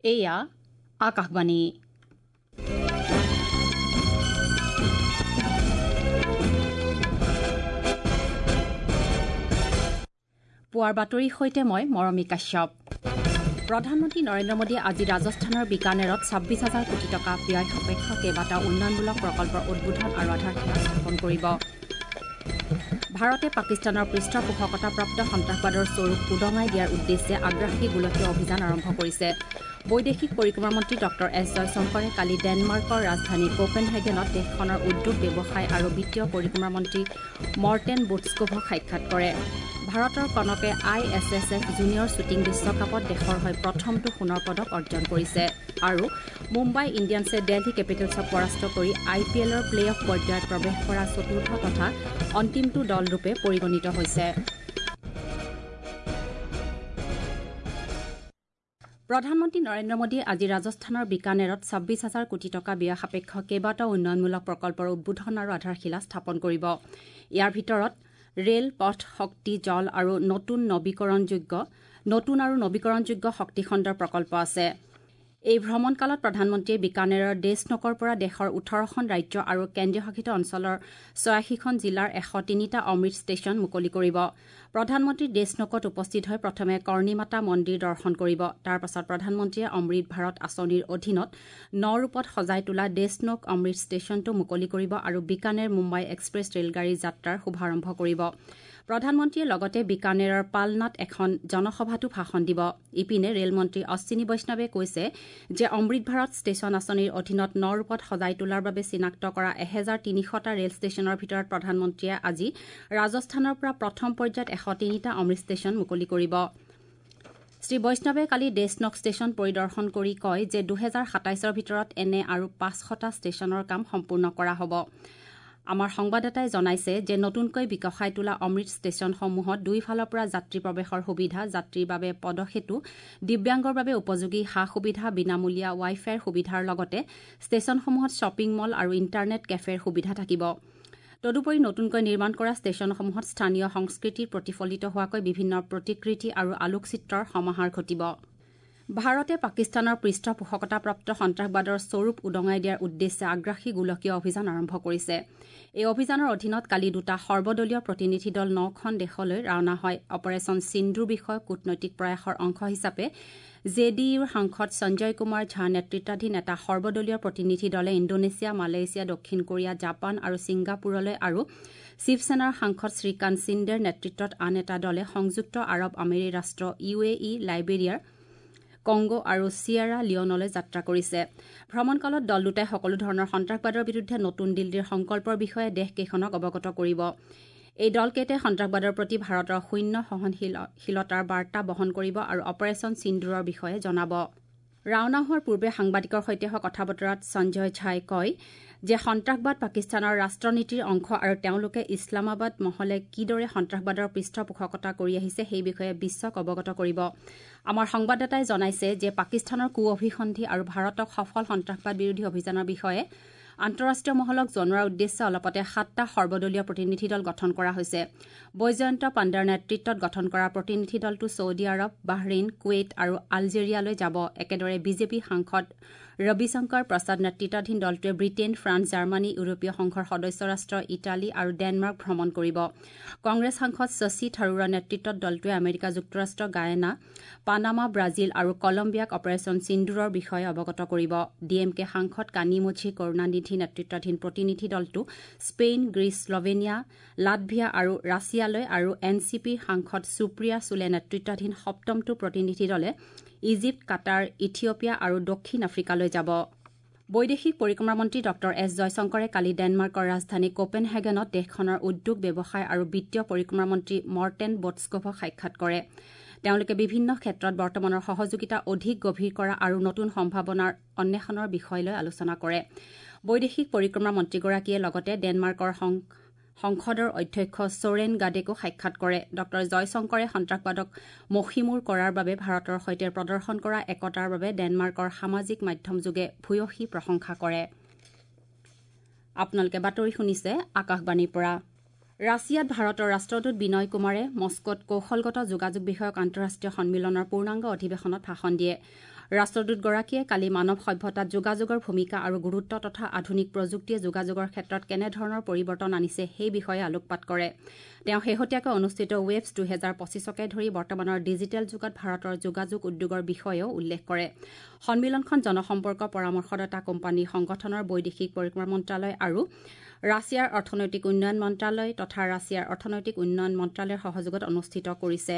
এয়া আকাশবাণী। পুৱাৰ বাতৰিৰ সৈতে মই মৰমী কাশ্যপ। প্ৰধানমন্ত্ৰী নৰেন্দ্ৰ মোদীয়ে আজি ৰাজস্থানৰ বিকানেৰত ২৬ হাজাৰ কোটি টকা ব্যয় সাপেক্ষ কেইবাটাও উন্নয়নমূলক প্ৰকল্পৰ উদ্বোধন আৰু আধাৰশিলা স্থাপন কৰিব। ভাৰতে পাকিস্তানৰ পৃষ্ঠপোষকতাপ্ৰাপ্ত সন্ত্ৰাসবাদৰ স্বৰূপ উদঙাই দিয়াৰ উদ্দেশ্যে আগ্ৰাসী গোলকীয় অভিযান আৰম্ভ কৰিছে। বৈদেশিক পৰিক্ৰমা মন্ত্ৰী ডঃ এছ জয়শংকৰে কালি ডেনমাৰ্কৰ ৰাজধানী কোপেনহেগেনত দেশখনৰ উদ্যোগ, ব্যৱসায় আৰু বিত্তীয় পৰিক্ৰমা মন্ত্ৰী মৰ্টেন বোটস্কোভক সাক্ষাৎ কৰে। ভাৰতৰ কনকে I S S F junior shooting বিশ্বকাপত দেশৰ হৈ প্ৰথমটো সোণৰ পদক অৰ্জন কৰিছে আৰু মুম্বাই ইণ্ডিয়ানছে দেলহি কেপিটেলছক পৰাস্ত কৰি আই পি এলৰ প্লে অফ পৰ্যায়ত প্ৰৱেশ কৰা চতুৰ্থ তথা অন্তিমটো দলৰূপে পৰিগণিত হৈছে। প্ৰধানমন্ত্ৰী নৰেন্দ্ৰ মোদীয়ে আজি ৰাজস্থানৰ বিকানেৰত ২৬ হাজাৰ কোটি টকা ব্যয় সাপেক্ষ কেইবাটাও উন্নয়নমূলক প্ৰকল্পৰ উদ্বোধন আৰু আধাৰশিলা স্থাপন কৰিব। ইয়াৰ ভিতৰত ৰেল, পথ, শক্তি, জল আৰু নতুন আৰু নবীকৰণযোগ্য শক্তিখণ্ডৰ প্ৰকল্প আছে। এই ভ্ৰমণকালত প্ৰধানমন্ত্ৰীয়ে বিকানেৰৰ দেশনকৰ পৰা দেশৰ ১৮খন ৰাজ্য আৰু কেন্দ্ৰীয় শাসিত অঞ্চলৰ ৮৬খন জিলাৰ ১০৩টা অমৃত ষ্টেচন মুকলি কৰিব। প্ৰধানমন্ত্ৰী দেশনকত উপস্থিত হৈ প্ৰথমে কৰ্ণীমাতা মন্দিৰ দৰ্শন কৰিব। তাৰ পাছত প্ৰধানমন্ত্ৰীয়ে অমৃত ভাৰত আঁচনিৰ অধীনত ন ৰূপত সজাই তোলা দেশনক অমৃত ষ্টেচনটো মুকলি কৰিব আৰু বিকানেৰ মুম্বাই এক্সপ্ৰেছ ৰেলগাড়ীৰ যাত্ৰাৰ শুভাৰম্ভ কৰিব। প্ৰধানমন্ত্ৰীয়ে লগতে বিকানেৰৰ পালনাত এখন জনসভাতো ভাষণ দিব। ইপিনে ৰেলমন্ত্ৰী অশ্বিনী বৈষ্ণৱে কৈছে যে অমৃত ভাৰত ষ্টেচন আঁচনিৰ অধীনত ন ৰূপত সজাই তোলাৰ বাবে চিনাক্ত কৰা ১৩০০টা ৰেল ষ্টেচনৰ ভিতৰত প্ৰধানমন্ত্ৰীয়ে আজি ৰাজস্থানৰ পৰা প্ৰথম পৰ্যায়ত ১০৩টা অমৃত ষ্টেচন মুকলি কৰিব। শ্ৰী বৈষ্ণৱে কালি দেশনক ষ্টেচন পৰিদৰ্শন কৰি কয় যে ২০২৭ৰ ভিতৰত এনে আৰু ৫০০টা ষ্টেচনৰ কাম সম্পূৰ্ণ কৰা হ'ব। আমাৰ সংবাদদাতাই জনাইছে যে নতুনকৈ বিকশাই তোলা অমৃত ষ্টেচনসমূহত দুয়োফালৰ পৰা যাত্ৰী প্ৰৱেশৰ সুবিধা, যাত্ৰীৰ বাবে পদসেতু, দিব্যাংগৰ বাবে উপযোগী সা সুবিধা, বিনামূলীয়া ৱাই ফাইৰ সুবিধাৰ লগতে ষ্টেচনসমূহত শ্বপিং মল আৰু ইণ্টাৰনেট কেফেৰ সুবিধা থাকিব। তদুপৰি নতুনকৈ নিৰ্মাণ কৰা ষ্টেচনসমূহত স্থানীয় সংস্কৃতিৰ প্ৰতিফলিত হোৱাকৈ বিভিন্ন প্ৰতিকৃতি আৰু আলোকচিত্ৰৰ সমাহাৰ ঘটিব। ভাৰতে পাকিস্তানৰ পৃষ্ঠপোষকতাপ্ৰাপ্ত সন্ত্ৰাসবাদৰ স্বৰূপ উদঙাই দিয়াৰ উদ্দেশ্যে আগ্ৰাসী গোলকীয় অভিযান আৰম্ভ কৰিছে। এই অভিযানৰ অধীনত কালি দুটা সৰ্বদলীয় প্ৰতিনিধি দল ৯খন দেশলৈ ৰাওনা হয়। অপাৰেচন সিন্দুৰ বিষয়ক কূটনৈতিক প্ৰয়াসৰ অংশ হিচাপে জে ডি ইউৰ সাংসদ সঞ্জয় কুমাৰ ঝা নেতৃত্বাধীন এটা সৰ্বদলীয় প্ৰতিনিধি দলে ইণ্ডোনেছিয়া, মালয়েছিয়া, দক্ষিণ কোৰিয়া, জাপান আৰু ছিংগাপুৰলৈ আৰু শিৱসেনাৰ সাংসদ শ্ৰীকান্ত সিন্দেৰ নেতৃত্বত আন এটা দলে সংযুক্ত আৰৱ আমিৰী ৰাষ্ট্ৰ, ইউ এ ই, লাইবেৰিয়াৰ, কংগো আৰু চিয়েৰা লিঅনলৈ যাত্ৰা কৰিছে। ভ্ৰমণকালত দল দুটাই সকলো ধৰণৰ সন্ত্ৰাসবাদৰ বিৰুদ্ধে নতুন দিল্লীৰ সংকল্পৰ বিষয়ে দেশকেইখনক অৱগত কৰিব। এই দলকেইটাই সন্ত্ৰাসবাদৰ প্ৰতি ভাৰতৰ শূন্য সহনশীলতাৰ বাৰ্তা বহন কৰিব আৰু অপাৰেচন সিন্দুৰৰ বিষয়ে জনাব। ৰাওনা হোৱাৰ পূৰ্বে সাংবাদিকৰ সৈতে হোৱা কথা বতৰাত সঞ্জয় ঝাই কয় যে সন্ত্ৰাসবাদ পাকিস্তানৰ ৰাষ্ট্ৰনীতিৰ অংশ আৰু তেওঁলোকে ইছলামাবাদ মহলে কিদৰে সন্ত্ৰাসবাদৰ পৃষ্ঠপোষকতা কৰি আহিছে সেই বিষয়ে বিশ্বক অৱগত কৰিব। আমাৰ সংবাদদাতাই জনাইছে যে পাকিস্তানৰ কু অভিসন্ধি আৰু ভাৰতক সফল সন্ত্ৰাসবাদ বিৰোধী অভিযানৰ বিষয়ে আন্তঃৰাষ্ট্ৰীয় মহলক জনোৱাৰ উদ্দেশ্যে অলপতে ৭টা সৰ্বদলীয় প্ৰতিনিধি দল গঠন কৰা হৈছে। বৈজয়ন্ত পাণ্ডাৰ নেতৃত্বত গঠন কৰা প্ৰতিনিধি দলটো ছৌদি আৰৱ, বাহৰেইন, কুৱেইট আৰু আলজেৰিয়ালৈ যাব। একেদৰে বিজেপি সাংসদ ৰবিশংকৰ প্ৰসাদ নেতৃত্বাধীন দলটোৱে ব্ৰিটেইন, ফ্ৰান্স, জাৰ্মানী, ইউৰোপীয় সংঘৰ সদস্য ৰাষ্ট্ৰ ইটালী আৰু ডেনমাৰ্ক ভ্ৰমণ কৰিব। কংগ্ৰেছ সাংসদ শশী থাৰুৰৰ নেতৃত্বত দলটোৱে আমেৰিকা যুক্তৰাষ্ট্ৰ, গায়ানা, পানামা, ব্ৰাজিল আৰু কলম্বিয়াক অপাৰেচন সিন্দুৰৰ বিষয়ে অৱগত কৰিব। ডি এম কে সাংসদ কানিমোঝি কৰুণানিধি নেতৃত্বাধীন প্ৰতিনিধি দলটো স্পেইন, গ্ৰীচ, শ্লোভেনিয়া, লাটভিয়া আৰু ৰাছিয়ালৈ আৰু এন চি পিৰ সাংসদ সুপ্ৰিয়া চুলে নেতৃত্বাধীন সপ্তমটো প্ৰতিনিধি দলে ইজিপ্ত, কাটাৰ, ইথিঅপিয়া আৰু দক্ষিণ আফ্ৰিকালৈ যাব। বৈদেশিক পৰিক্ৰমা মন্ত্ৰী ডঃ এছ জয়শংকৰে কালি ডেনমাৰ্কৰ ৰাজধানী কোপেনহেগেনত দেশখনৰ উদ্যোগ, ব্যৱসায় আৰু বিত্তীয় পৰিক্ৰমা মন্ত্ৰী মৰ্টেন বোটস্কোভক সাক্ষাৎ কৰে। তেওঁলোকে বিভিন্ন ক্ষেত্ৰত বৰ্তমানৰ সহযোগিতা অধিক গভীৰ কৰা আৰু নতুন সম্ভাৱনাৰ অন্বেষণৰ বিষয় লৈ আলোচনা কৰে। বৈদেশিক পৰিক্ৰমা মন্ত্ৰীগৰাকীয়ে লগতে ডেনমাৰ্কৰ সংসদৰ অধ্যক্ষ চোৰেন গাডেকো সাক্ষাৎ কৰে। ডঃ জয়শংকৰে সন্ত্ৰাসবাদক মষিমূৰ কৰাৰ বাবে ভাৰতৰ সৈতে প্ৰদৰ্শন কৰা একতাৰ বাবে ডেনমাৰ্কৰ সামাজিক মাধ্যমযোগে ভূয়সী প্ৰশংসা কৰে। আপোনালোকে বাতৰি শুনিছে আকাশবাণীৰ পৰা। ৰাছিয়াত ভাৰতৰ ৰাষ্ট্ৰদূত বিনয় কুমাৰে মস্কোত কৌশলগত যোগাযোগ বিষয়ক আন্তঃৰাষ্ট্ৰীয় সন্মিলনৰ পূৰ্ণাংগ অধিৱেশনত ভাষণ দিয়ে। ৰাষ্ট্ৰদূতগৰাকীয়ে কালি মানৱ সভ্যতাত যোগাযোগৰ ভূমিকা আৰু গুৰুত্ব তথা আধুনিক প্ৰযুক্তিয়ে যোগাযোগৰ ক্ষেত্ৰত কেনেধৰণৰ পৰিৱৰ্তন আনিছে সেই বিষয়ে আলোকপাত কৰে। তেওঁ শেহতীয়াকৈ অনুষ্ঠিত ৱেভছ 2025কে ধৰি বৰ্তমানৰ ডিজিটেল যুগত ভাৰতৰ যোগাযোগ উদ্যোগৰ বিষয়েও উল্লেখ কৰে। সন্মিলনখন জনসম্পৰ্ক পৰামৰ্শদাতা কোম্পানী সংগঠনৰ বৈদেশিক পৰিক্ৰমা মন্ত্ৰালয় আৰু ৰাছিয়াৰ অৰ্থনৈতিক উন্নয়ন মন্ত্ৰালয় তথা ৰাছিয়াৰ অৰ্থনৈতিক উন্নয়ন মন্ত্ৰালয়ৰ সহযোগত অনুষ্ঠিত কৰিছে।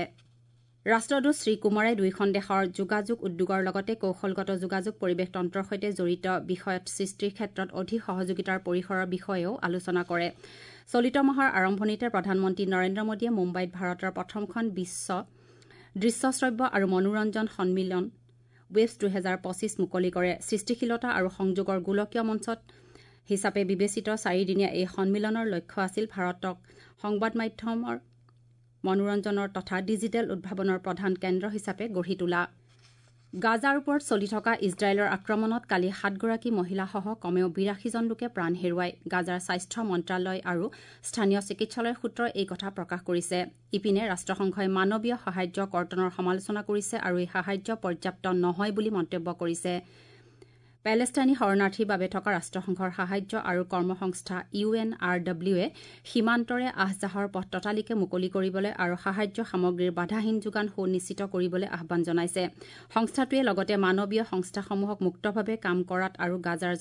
ৰাষ্ট্ৰদূত শ্ৰীকুমাৰে দুয়োখন দেশৰ যোগাযোগ উদ্যোগৰ লগতে কৌশলগত যোগাযোগ পৰিৱেশ তন্ত্ৰৰ সৈতে জড়িত বিষয়ত সৃষ্টিৰ ক্ষেত্ৰত অধিক সহযোগিতাৰ পৰিসৰৰ বিষয়েও আলোচনা কৰে। চলিত মাহৰ আৰম্ভণিতে প্ৰধানমন্ত্ৰী নৰেন্দ্ৰ মোদীয়ে মুম্বাইত ভাৰতৰ প্ৰথমখন বিশ্ব দৃশ্য শ্ৰব্য আৰু মনোৰঞ্জন সন্মিলন ৱেভছ 2025 মুকলি কৰে। সৃষ্টিশীলতা আৰু সংযোগৰ গোলকীয় মঞ্চত হিচাপে বিবেচিত চাৰিদিনীয়া এই সন্মিলনৰ লক্ষ্য আছিল ভাৰতক সংবাদ মাধ্যমৰ, মনোৰঞ্জনৰ তথা ডিজিটেল উদ্ভাৱনৰ প্ৰধান কেন্দ্ৰ হিচাপে গঢ়ি তোলা। গাজাৰ ওপৰত চলি থকা ইজৰাইলৰ আক্ৰমণত কালি 7গৰাকী মহিলাসহ কমেও 82জন লোকে প্ৰাণ হেৰুৱায়। গাজাৰ স্বাস্থ্য মন্ত্ৰালয় আৰু স্থানীয় চিকিৎসালয়ৰ সূত্ৰই এই কথা প্ৰকাশ কৰিছে। ইপিনে ৰাষ্ট্ৰসংঘই মানৱীয় সাহায্য কৰ্তনৰ সমালোচনা কৰিছে আৰু এই সাহায্য পৰ্যাপ্ত নহয় বুলি মন্তব্য কৰিছে। পেলেষ্টাইনী শৰণাৰ্থীৰ বাবে থকা ৰাষ্ট্ৰসংঘৰ সাহায্য আৰু কৰ্মসংস্থা UNRWA সীমান্তৰে আহ-যাহৰ পথ ততালিকে মুকলি কৰিবলৈ আৰু সাহায্য সামগ্ৰীৰ বাধাহীন যোগান সুনিশ্চিত কৰিবলৈ আহ্বান জনাইছে। সংস্থাটোৱে লগতে মানৱীয় সংস্থাসমূহক মুক্তভাৱে কাম কৰাত আৰু গাজাৰ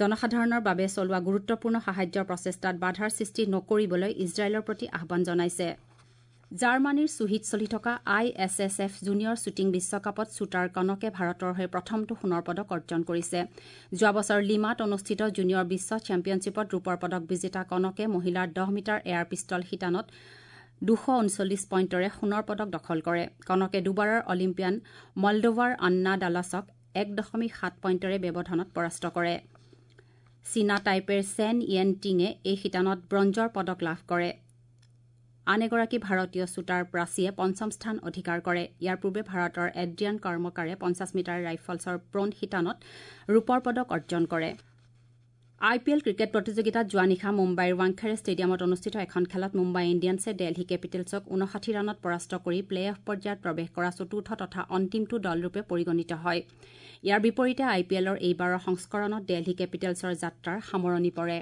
জনসাধাৰণৰ বাবে চলোৱা গুৰুত্বপূৰ্ণ সাহায্যৰ প্ৰচেষ্টাত বাধাৰ সৃষ্টি নকৰিবলৈ ইজৰাইলৰ প্ৰতি আহ্বান জনাইছে। জাৰ্মানীৰ চুহিত চলি থকা ISSF junior শ্বুটিং বিশ্বকাপত শ্বুটাৰ কনকে ভাৰতৰ হৈ প্ৰথমটো সোণৰ পদক অৰ্জন কৰিছে। যোৱা বছৰ লিমাত অনুষ্ঠিত জুনিয়ৰ বিশ্ব চেম্পিয়নশ্বিপত ৰূপৰ পদক বিজেতা কনকে মহিলাৰ 10 মিটাৰ এয়াৰ পিষ্টল শিতানত 239 পইণ্টৰে সোণৰ পদক দখল কৰে। কনকে দুবাৰৰ অলিম্পিয়ান মলডোভাৰ আন্না ডালাছক 1.7 পইণ্টৰে ব্যৱধানত পৰাস্ত কৰে। চীনা টাইপেৰ চেন য়েন টিঙে এই শিতানত ব্ৰঞ্জৰ পদক লাভ কৰে। আন এগৰাকী ভাৰতীয় শ্বুটাৰ প্ৰাচীয়ে পঞ্চম স্থান অধিকাৰ কৰে। ইয়াৰ পূৰ্বে ভাৰতৰ এড্ৰিয়ান কৰ্মকাৰে 50 মিটাৰ ৰাইফলছৰ প্ৰ'ন শিতানত ৰূপৰ পদক অৰ্জন কৰে। IPL cricket প্ৰতিযোগিতাত যোৱা নিশা মুম্বাইৰ ৱাংখেড়ে ষ্টেডিয়ামত অনুষ্ঠিত এখন খেলত মুম্বাই ইণ্ডিয়ানছে দেলহি কেপিটেলছক 59 ৰানত পৰাস্ত কৰি প্লে অফ পৰ্যায়ত প্ৰৱেশ কৰা চতুৰ্থ তথা অন্তিমটো দলৰূপে পৰিগণিত হয়। ইয়াৰ বিপৰীতে IPLৰ এইবাৰৰ সংস্কৰণত দেলহি কেপিটেলছৰ যাত্ৰাৰ সামৰণি পৰে।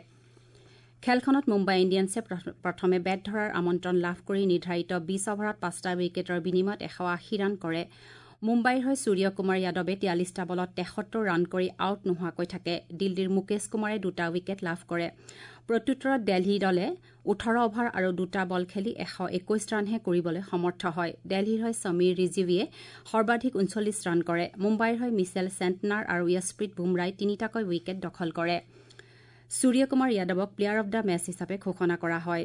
খেলখনত মুম্বাই ইণ্ডিয়ানছে প্ৰথমে বেট ধৰাৰ আমন্ত্ৰণ লাভ কৰি নিৰ্ধাৰিত 20 অভাৰত 5টা উইকেটৰ বিনিময়ত 180 ৰান কৰে। মুম্বাইৰ হৈ সূৰ্য কুমাৰ যাদৱে 43টা বলত 73 ৰান কৰি আউট নোহোৱাকৈ থাকে। দিল্লীৰ মুকেশ কুমাৰে 2টা উইকেট লাভ কৰে। প্ৰত্যুত্তৰত দেলহি দলে 18 অভাৰ আৰু 2টা বল খেলি 121 ৰানহে কৰিবলৈ সমৰ্থ হয়। দেলহিৰ হৈ সমীৰ ৰিজিৱীয়ে সৰ্বাধিক 39 ৰান কৰে। মুম্বাইৰ হৈ মিচেল চেণ্টনাৰ আৰু য়শপ্ৰীত বুমৰাই 3টাকৈ উইকেট দখল কৰে। সূৰ্য কুমাৰ যাদৱক প্লেয়াৰ অব the match হিচাপে ঘোষণা কৰা হয়।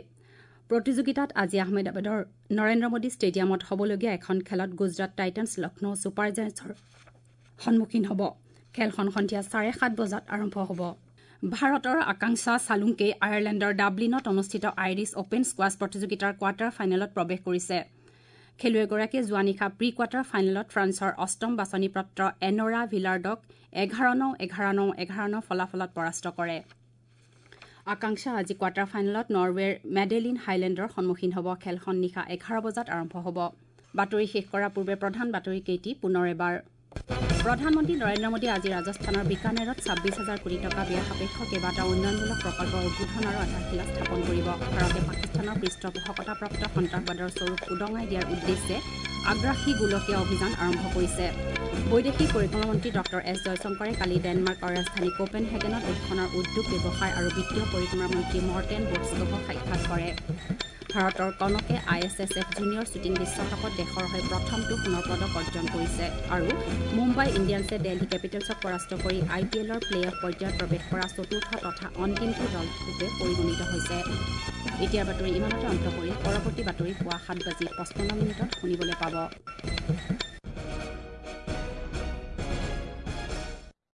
প্ৰতিযোগিতাত আজি আহমেদাবাদৰ নৰেন্দ্ৰ মোদী ষ্টেডিয়ামত হ'বলগীয়া এখন খেলত গুজৰাট টাইটানছ লক্ষ্ণৌ ছুপাৰ জায়েণ্টছৰ সন্মুখীন হ'ব। খেলখন সন্ধিয়া 7:30 বজাত আৰম্ভ হ'ব। ভাৰতৰ আকাংক্ষা চালুংকে আয়াৰলেণ্ডৰ ডাবলিনত অনুষ্ঠিত আইৰিছ অপেন স্কোৱাছ প্ৰতিযোগিতাৰ কোৱাৰ্টাৰ ফাইনেলত প্ৰৱেশ কৰিছে। খেলুৱৈগৰাকীয়ে যোৱা নিশা প্ৰি কোৱাৰ্টাৰ ফাইনেলত ফ্ৰান্সৰ অষ্টম বাছনিপ্ৰাপ্ত এনৰা ভিলাৰ্ডক 11-9, 11-9, 11-9 ফলাফলত পৰাস্ত কৰে। আকাংক্ষা আজি কোৱাৰ্টাৰ ফাইনেলত নৰৱেৰ মেডেলিন হাইলেণ্ডৰ সন্মুখীন হ'ব। খেলখন নিশা 11 বজাত আৰম্ভ হ'ব। বাতৰি শেষ কৰাৰ পূৰ্বে প্ৰধান বাতৰি কেইটি পুনৰ এবাৰ। প্ৰধানমন্ত্ৰী নৰেন্দ্ৰ মোদীয়ে আজি ৰাজস্থানৰ বিকানেৰত 26 হাজাৰ কোটি টকা ব্যয় সাপেক্ষ কেইবাটাও উন্নয়নমূলক প্ৰকল্পৰ উদ্বোধন আৰু আধাৰশিলা স্থাপন কৰিব। ভাৰতে পাকিস্তানৰ পৃষ্ঠপোষকতাপ্ৰাপ্ত সন্ত্ৰাসবাদৰ স্বৰূপ উদঙাই দিয়াৰ উদ্দেশ্যে আগ্ৰাসী গোলকীয় অভিযান আৰম্ভ কৰিছে। বৈদেশিক পৰিক্ৰমা মন্ত্ৰী ডঃ এছ জয়শংকৰে কালি ডেনমাৰ্কৰ ৰাজধানী কোপেনহেগেনত দেশখনৰ উদ্যোগ, ব্যৱসায় আৰু বিত্তীয় পৰিক্ৰমা মন্ত্ৰী মৰ্টেন বোটস্কভক সাক্ষাৎ কৰে। ভাৰতৰ কনকে ISSF junior শ্বুটিং বিশ্বকাপত দেশৰ হৈ প্ৰথমটো সোণৰ পদক অৰ্জন কৰিছে আৰু মুম্বাই ইণ্ডিয়ানছে দেলহি কেপিটেলছক পৰাস্ত কৰি IPLৰ প্লে অফ পৰ্যায়ত প্ৰৱেশ কৰা চতুৰ্থ তথা অন্তিমটো দলৰূপে পৰিগণিত হৈছে। এতিয়াৰ বাতৰি ইমানতে অন্ত কৰি পৰৱৰ্তী বাতৰি পুৱা 7:55 শুনিবলৈ পাব।